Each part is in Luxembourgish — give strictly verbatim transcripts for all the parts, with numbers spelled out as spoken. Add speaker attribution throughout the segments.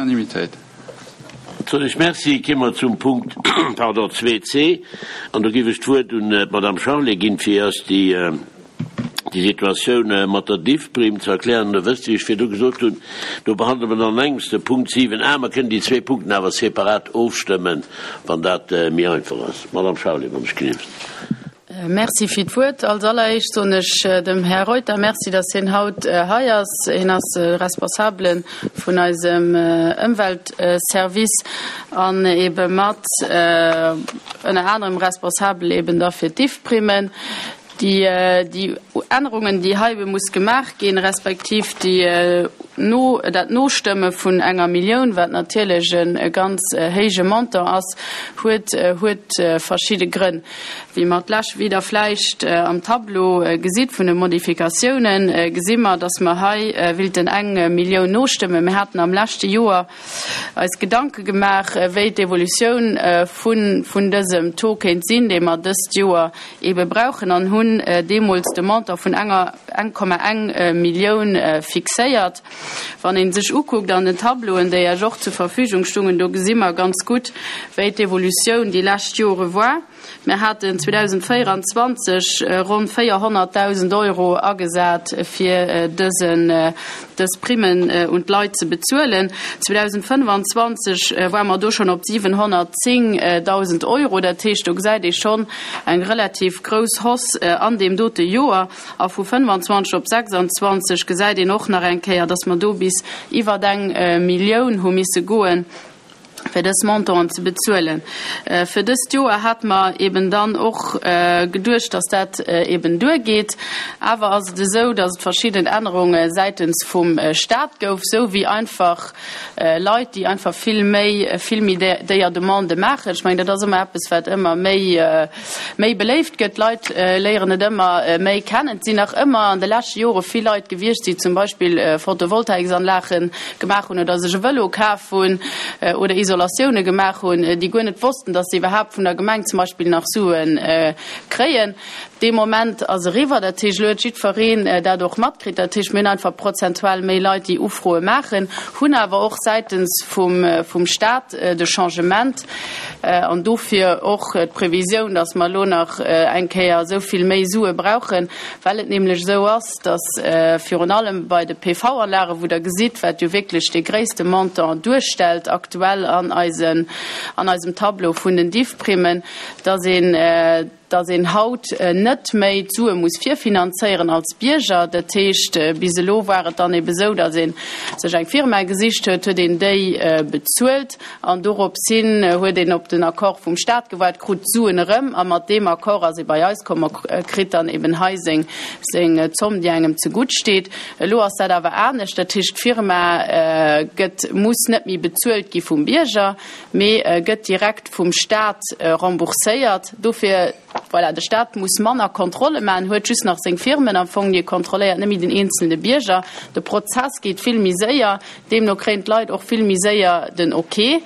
Speaker 1: Unanimitéit.
Speaker 2: Soen ech Merci. Kéime mer zum Punkt, pardon, zwee C. An do géif ech d'Wuert un d'Madame Charlé ginn, fir eis déi, déi Situatioun mat der Diffprime ze erklären. Der wësst, wéi ech virdu gesot hunn, do behandele mer dann an engems de Punkt siwen A. Mer kënnen déi zwee Punkten awer separat ofstëmmen, wann dat méi einfach ass. Madame Charlé, wann ech gelift.
Speaker 3: Merci fir d'Wuert. Als alleréischt soen ech dem Här Reuter Merci, dass hien haut hei ass. Hien ass de Responsabele vun eisem Ëmweltservice an ebe mat ënner anerem responsabel eben da fir d'Diffprimmen. Déi, déi Ännerungen, déi hei ebe muss gemaach ginn, respektiv déi no, dat Nostëmme vun enger Millioun, wat natierlech e ganz héije Montant ass, huet, huet verschidde Grënn. Wéi mer d'lech, wéi Der vläicht am Tableau gesitt vun de Modifikatiounen, gesi mer, dass mer hei willten eng Millioun nostëmmen. Mir haten am leschte Joer eis Gedanke gemaach, wéi d'Evolutioun vun, vun dësem Taux kéint sinn, dee mer dëst Joer ebe brauchen, an hunn deemools de Montant vun enger eng Komma eng Millioun fixéiert. Wann ee sech ukuckt an den Tableauen, déi Iech och zur Verfügung stungen, do gesi mer ganz gutt, wéi d'Evolutioun déi lescht Jore war. Mir haten zweedausendvéierenzwanzeg ronn véierhonnertdausend Euro agesat, fir dësen, dës Primmen un d'Leit ze bezuelen. zweedausendfënnwanzwanzeg ware mer do schonn op siwenhonnertzéngdausend Euro. Dat heescht, do gesäit ee schonn eng relativ grouss Hausse an deem dote Joer. A vu fënnwanzwanzeg op sechsanzwanzeg gesäit een och nach eng Kéier, dass mer do bis iwwer eng Millioun hu misse goen, fir dës Montanten ze bezuelen. Fir dëst Joer hat mer eben dann och geduecht, dass dat eben duergeet. Awer ass et esou, dass et verschidden Ännerunge säitens vum Staat gouf, sou wéi einfach Leit, déi einfach vill méi, vill méi déier Demandë maachen. Ech mengen, dat ass ëmmer eppes, wat ëmmer méi, méi beléift gëtt. D'Leit léieren et ëmmer méi kennen. Et sinn nach ëmmer an de leschte Jore vill Leit gewiescht, déi zum Beispill Photovoltaiksanlage gemaach hunn oder sech e Vëlo kaf hunn oder Isolatioune gemaach hunn, déi guer net wossten, dass se iwwerhaapt vun der Gemeng zum Beispill nach Sue kréien. Dee Moment ass eriwwer. Dat heescht, elo huet jiddwereen dat och matkritt. Dat heescht, mir hunn einfach prozentual méi Leit, déi Ufroe maachen, hunn awer och säitens vum, vum Staat de Changement an dofir och d'Previsioun, dass mer elo nach eng Kéier esou vill méi Sue brauchen, well et nämlech esou ass, dass virun allem bei de P V-Anlagen, wou Der gesitt, wat jo wierklech dee gréisste Montant duerstellt aktuell an eisen, an eisem Tableau vun den Diffprimmen, dass een, dass een haut net méi d'Sue muss virfinanzéieren als Bierger. Dat heescht, bis elo war et dann eben esou, dass een sech eng Firma gesicht huet, huet een déi bezuelt an dorops hin huet een op den Accord vum Staat gewaart, krut d'Suen erëm a mat deem Accord ass ee bei eis komm a kritt dann eben hei seng, seng Zomm, déi engem zegutt steet. Elo ass dat awer anescht. Dat heescht, d'Firma gëtt, muss net méi bezuelt gi vum Bierger, mee gëtt direkt vum Staat rembourséiert. Dofir, voilà, de Staat muss manner Kontrolle maachen, huet just nach seng Firmen am Fong, déi e kontrolléiert, net méi den eenzelne Bierger. De Prozess geet vill méi séier, deemno kréien d'Leit och vill méi séier den Ok,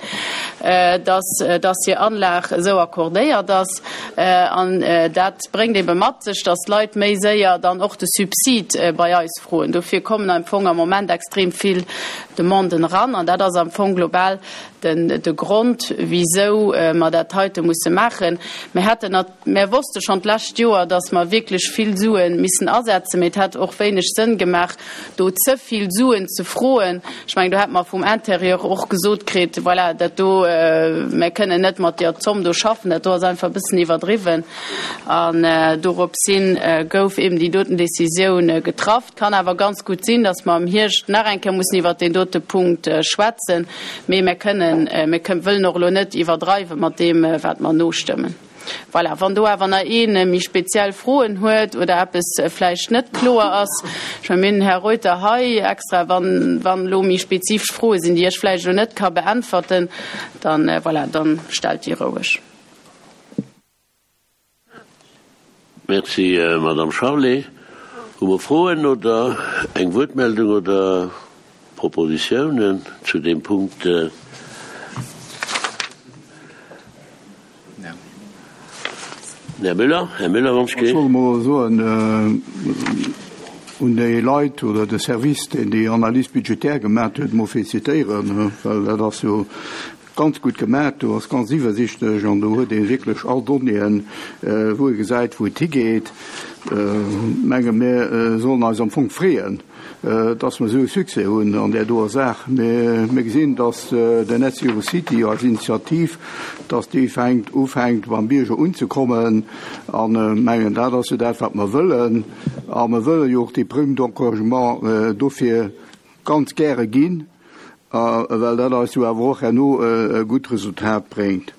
Speaker 3: dass, dass hir Anlag esou accordéiert ass. An dat bréngt ebe mat sech, dass d'Leit méi séier dann och de Subsid bei eis froen. Dofir kommen am Fong am Moment extrem vill Demanden eran an dat ass am Fong global den, de Grond, wisou mer dat heite musse maachen. Mir hätten nat-, mir wosste schonn d'lescht Joer, dass mer wierklech vill Suen missen asetzen, mee et hätt och wéineg Sënn gemaach, do ze vill Suen ze froen. Ech mengen, do hätt mer vum Intérieur och gesot kritt, voilà, dat do, mir kënnen net mat deer Zomm do schaffen, dat do ass einfach e bëssen iwwerdriwwen. An doropshin gouf eben déi doten Décisioun getraff. Kann awer ganz gutt sinn, dass mer am Hierscht nach eng Kéier mussen iwwert deen dote Punkt schwätzen, mee mir kënnen, mir kënnen, wëllen och elo net iwwerdreiwe mat deem, wat mer nostëmmen. Voilà, wann do awer nach een méi speziell Froen huet oder eppes vläicht net kloer ass, ech meine, mir hunn den Här Reuter hei extra, wann, wann elo méi spezifesch Froe sinn, déi ech vläicht elo net ka beäntwerten, dann, voilà, dann stellt déi roueg.
Speaker 2: Merci, Madame Charlé. Hu mer Froen oder eng Wuertmeldung oder Propositiounen zu deem Punkt? Här Müller, Här Müller, wann ech
Speaker 4: Ech wollt emol soen,
Speaker 1: un déi Leit oder de Service, deen déi Analyse budgétaire gemaach huet, mol felicitéieren, well dat ass jo ganz gutt gemaach, do ass ganz iwwersichtlech an do huet ee wierklech all Donnéeën, wou ee gesäit, wou et higeet. Menge mir sollen eis am Fong freeën, dass mer esou e Succès hunn an där doer Saach. Mir gesinn, dass den Net Zero City als Initiativ, dass déi fänkt, ufänkt beim Bierger unzekommen an mengen, dat ass jo dat, wat mer wëllen. A mer wëlle jo och déi Prime d'encouragement dofir ganz gäre ginn, well dat eis jo awer och herno e gutt Resultat bréngt.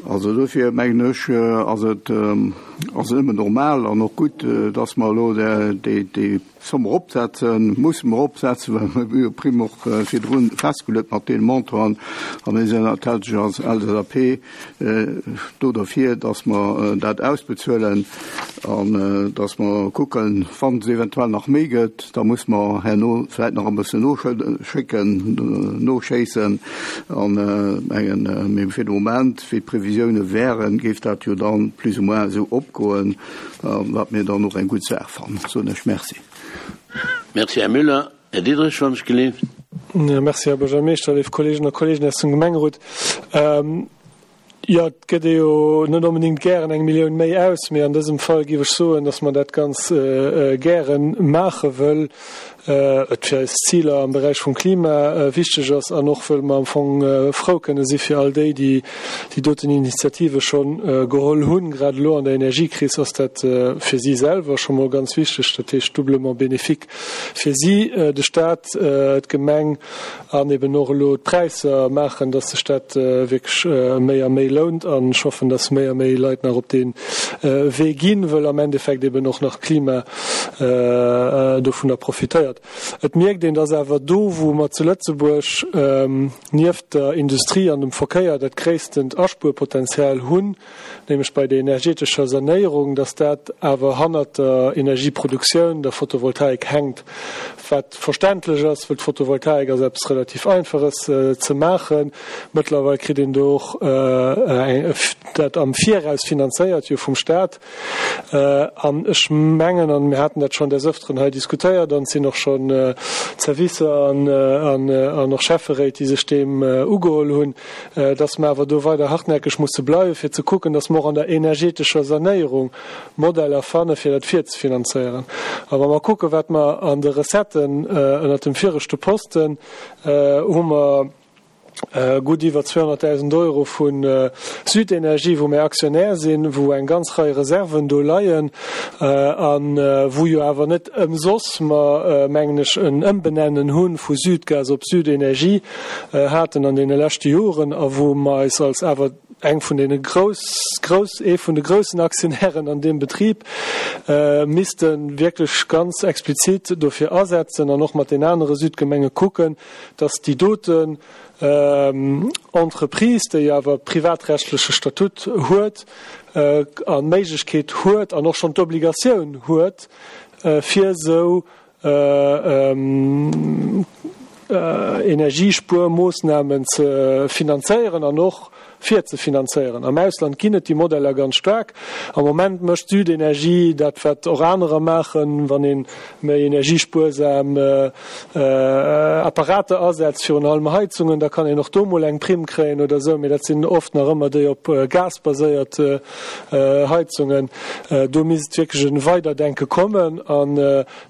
Speaker 1: Also dofir mengen ech, ass et ass et nëmmen normal an och gutt, dass mer elo déi déi Somme eropsetzen, musse mer eropsetzen, well mer hu jo d'Primm och virdrun festgeluet mat deene Montanten. A mir sinn natierlech als L S A P do derfir, dass mer dat ausbezuelen an dass mer kucken, wann et eventuell nach méi gëtt, da muss mer herno vläicht nach e bëssen noschécken, noschéissen. An mengen, mee fir de Moment, wéi d'Previsioune wären, géif dat jo dann plus ou moins esou opgoen, wat mir dann och eng gutt Saach fannen. Soen ech Merci.
Speaker 2: Merci, Här Müller. Här Diderich, wann ech gelift.
Speaker 4: Merci, Här Buergermeeschter, léif Kolleegen a Kolleegen aus dem Gemengerot. Jo, et gëtt ee jo net onbedéngt gären eng Millioun méi aus, mee an dësem Fall géif ech soen, datt mer dat ganz gäre maache wëll et fir eis Ziler am Beräich vum Klima wichteg ass an och wëll mer am Fong frou kënne si fir all déi, déi déi doten Initiative scho geholl hunn. Grad elo an der Energiekris ass dat fir si selwer scho mol ganz wichteg, dat heescht doublement bénéfique fir si, de Staat, d'Gemeng an eben och elo d'Präisser maachen, dass sech dat wierklech méi a méi lount. An ech hoffen, dass méi a méi Leit nach op dee Wee ginn, wëll am Endeffekt eben och nach d'Klima dovunner profitéiert. Et mierkt een, dass awer do, wou mer zu Lëtzebuerg nieft der Industrie an dem Verkéier dat gréisstent Aspuerpotenzial hunn, nämlech bei der energetescher Sanéierung, dass dat awer hannert der Energieproduktioun, der Photovoltaik, hänkt, wat verständlech ass, wëll d'Photovoltaik ass eppes relativ Einfaches ze maachen. Mëttlerweil kritt een do och dat am Viraus finanzéiert, jo vum Staat. An ech mengen, an mir haten dat schonn des Ëfteren hei diskutéiert, an et sinn och schonn Servicer an och Schäfferéit, déi sech deem ugeholl hunn, dass mer awer do weider hartnäckeg musse bleiwen, fir ze kucken, dass mer och an der energetescher Sanéierung Modeller fannen, fir dat virzefinanzéieren. A wa mer kucken, wat mer an de Recetten ënnert dem viregte Posten hu mer gutt iwwer zweehonnertdausend Euro vu Südenergie, wou mir Aktionär sinn, wou eng ganz Rei Reserven do leien a wou jo awer net ëmsoss mer, mengen ech, en Ëmbenennen hu vu Südgas op Südenergie haten an deene leschte Joren a wou mer eis als awer eng vun deene grouss, grouss, ee vun de groussen Aktionären an deem Betrib misste wierklech ganz explizit dofir asetzen an och mat den anere Südgemenge kucken, dass déi doten Entreprise, déi awer privatrechtleche Statut huet an d'Méiglechkeet huet an och schonn d'Obligatioun huet, fir esou Energiespuermoossnamen ze finanzéieren an och virzefinanzéieren. Am Ausland ginn et déi Modeller ganz staark. Am Moment mécht Südenergie dat, wat och anerer maachen, wann ee méi energiespuersam Apparater asetzt, virun allem Heizungen, da kann een och do mol eng Primm kréien oder esou, mee dat sinn oft nach ëmmer déi op Gas baséiert Heizungen. Do misst wierklech e Weiderdenke kommen an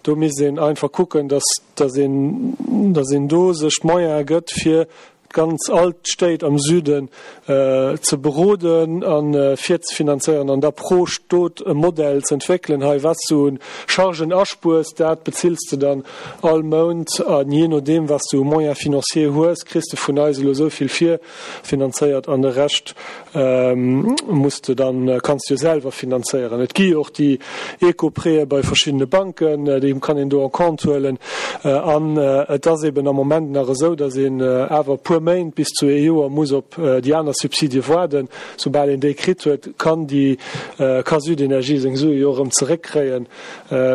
Speaker 4: do misst een einfach kucken, dass dass een dass een do sech d'Moyene gëtt, fir ganz all d'Stéit am Süden ze beroden a virzefinanzéieren an da pro Stot e Modell ze entwéckelen, hei wat s du un Chargen aspuers, dat bezills de dann all Mount an jee nodeem wat s du u Moyens financiers hues, kriss de vun eis elo esou vill virfinanzéiert an de Rescht muss de dann, kanns de jo selwer finanzéieren. Et gi jo och déi Eco-Prêtë bei verschiddene Banken, déi kann een do en compte huelen. An et ass eben am Moment nach esou, datt een awer e puer Méint bis zu ee Joer muss op déi aner Subsidie waarden. Soubal een déi kritt huet, kann déi, ka Südenergie seng Sue jo erëm zeréckkréien.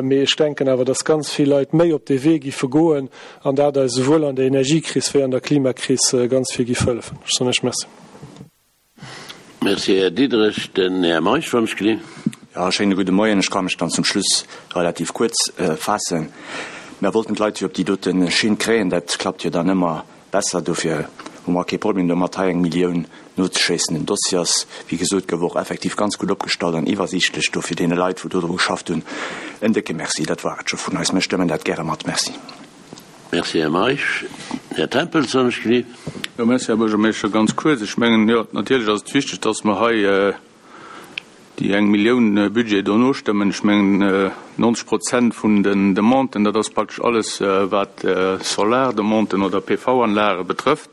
Speaker 4: Mee ech denken awer, datt ganz vill Leit méi op dee Wee giffe goen an dat eis esouwuel an der Energiekris wéi an der Klimakris ganz vill giff hëllefen. Ech soen Iech Merci.
Speaker 2: Merci, Här Diderich. Den Här Meisch, wann ech gelinn.
Speaker 5: Ja, schéine gudde Moien. Ech ka mech dann zum Schluss relativ kuerz faassen. Mär wollten d'Leit jo op déi dote Schinn kréien. Dat klappt jo dann ëmmer besser. Dofir hu mer kee Problem domat, hei eng Millioun nozeschéissen. Den Dossier ass, wéi gesot gouf, och effektiv ganz gutt opgestallt an iwwersiichtlech. Dofir deene Leit, wou dodru geschafft hunn, en décke Merci. Dat war et scho vun eis. Mir stëmmen dat gäre mat. Merci.
Speaker 2: Merci, Här Meisch. Här Tempels, wann ech gelift.
Speaker 6: Jo, merci, Här Buergermeeschter. Ganz kuerz, Ech mengen, jo, natierlech ass et wichteg, dass mer hei déi eng Millioun Budget do nostëmmen. Ech mengen, neunzeg Prozent vun den Demanden, dat ass praktesch alles, wat Solardemanden oder P V-Anlage betrëfft.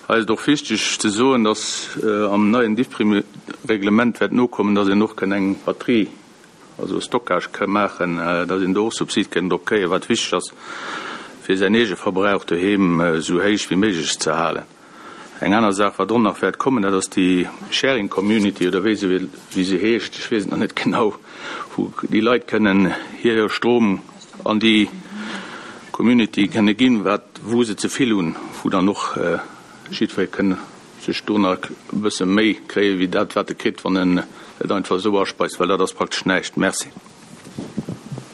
Speaker 6: Hei ass et och wichteg ze soen, dass am neien DIFPRIM-Reglement wäert nokommen, dass een och kënn eng Batterie, also Stockage ka maachen, dass een do och Subsid kënn drop kréien, wat wichteg ass, fir säin Eegeverbrauch doheem esou héich wéi méiglech ze halen. Eng aner Saach, wat och nach wäert kommen, dat ass déi Sharing Community oder wéi se wéi se heescht, ech weess et nach net genau, wou déi Leit kënnen hire Strom an déi Community kënne ginn, wat wou se ze vill hunn, wou dann och jiddweree kënn sech do nach e bësse méi kréie wéi dat, wat e kritt, wann en et einfach esou aspeist, well dat ass praktesch näischt. Merci.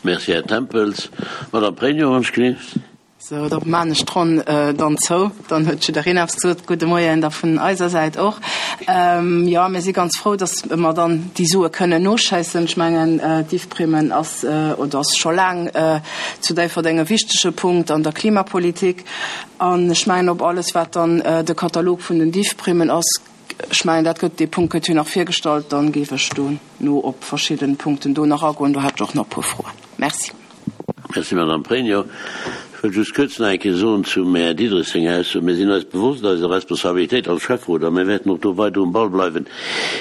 Speaker 2: Merci, Här Tempels. Madame Pregno, wann ech gelift.
Speaker 7: Sou, da maan ech d'Ronn dann zou. Dann huet jiddereen eppes gesot. Gudde Moien da vun eiser Säit och. Jo, mir si ganz frou, datt mer dann déi Sue kënnen noschéissen. Ech mengen, d'IFPRIMen ass oder ass scho laang zu Déifferdeng e wichtege Punkt an der Klimapolitik. An ech mengen, op alles, wat dann de Katalog vun den DIFPRIMen ass, ech mengen, dat gëtt, dee Punkt gëtt jo nach virgestallt, dann géif ech dono op verschidden Punkten do nach agoen. Do hätt ech och nach e puer Froen. Merci.
Speaker 2: Merci, Madame Pregno. Ech wëll just kuerz nach eng Kéier soen zum Här Diderich senger Ausso, Mir sinn eis bewosst eiser Responsabilitéit als Schäfferot a mir wäerten och do weider um Ball bleiwen,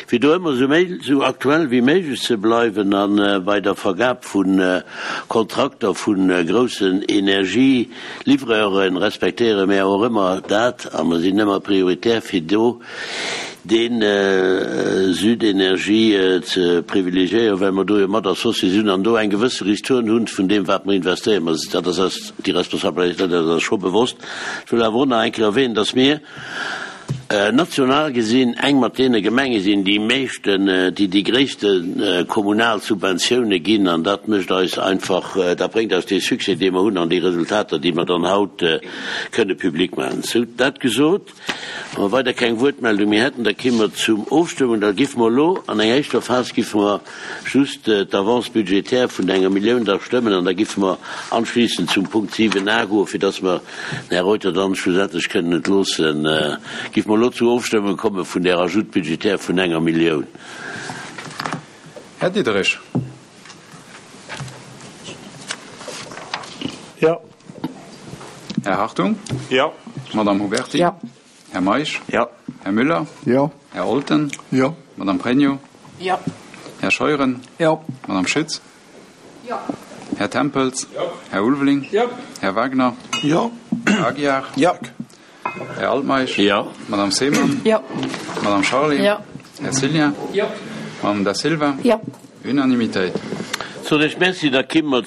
Speaker 2: fir do ëmmer esou méi, esou aktuell wéi méiglech ze bleiwen a bei der Vergab vu Kontrakter vu groussen Energielivreuren respektéiere mir och ëmmer dat a mer sinn ëmmer prioritär fir do de Südenergie ze privilegiéieren, well mer do jo mat associé sinn an do eng gewësse Ristourne hunn vun deem, wat mer investéieren. Mä dat ass eis, déi Responsabilitéit ass eis scho bewosst. Ech wëll awer och nach eng Kéier erwähnen, dass mir national gesinn eng mat deene Gemenge sinn, déi meeschten, déi déi gréisste kommunal Subventioune ginn, an dat mécht eis einfach, dat bréngt eis dee Succès, dee mer hunn, an déi Resultater, déi mer dann haut kënne public maachen. Sou, dat gesot, wa mer weider keng Wuertmeldung méi hätten, da kéime mer zum Ofstëmmen. Da giffe mer elo an enger éischter Phas giffe mer just d'Avance budgétaire vun enger Millioun da stëmmen an da giffe mer anschließend zum Punkt siwen a goen, fir dass mer den Här Reuter dann schlussendlech kënnen entloossen. Giffe mer elo zur Ofstëmmung komme vun där Ajout budgétaire vun enger Millioun.
Speaker 8: Här Diderich.
Speaker 4: Jo.
Speaker 8: Här Hartung.
Speaker 4: Jo.
Speaker 8: Madame Huberti.
Speaker 7: Jo.
Speaker 8: Här Meisch.
Speaker 5: Jo.
Speaker 8: Här Müller.
Speaker 1: Jo.
Speaker 8: Här Olten.
Speaker 1: Jo.
Speaker 8: Madame Pregno.
Speaker 7: Jo.
Speaker 8: Här Scheuren.
Speaker 1: Jo.
Speaker 8: Madame Schütz.
Speaker 3: Jo.
Speaker 8: Här Tempels.
Speaker 6: Jo.
Speaker 8: Här Ulveling.
Speaker 6: Jo.
Speaker 8: Här Wagner.
Speaker 1: Jo.
Speaker 8: Här Aguiar.
Speaker 1: Jo.
Speaker 8: Här Altmeisch.
Speaker 2: Jo.
Speaker 8: Madame Seemann.
Speaker 7: Jo.
Speaker 8: Madame Charlé.
Speaker 3: Jo.
Speaker 8: Här Cillien.
Speaker 6: Jo.
Speaker 8: Madame Da Silva.
Speaker 7: Jo.
Speaker 8: Unanimitéit.
Speaker 2: Soen ech Merci, da ki mer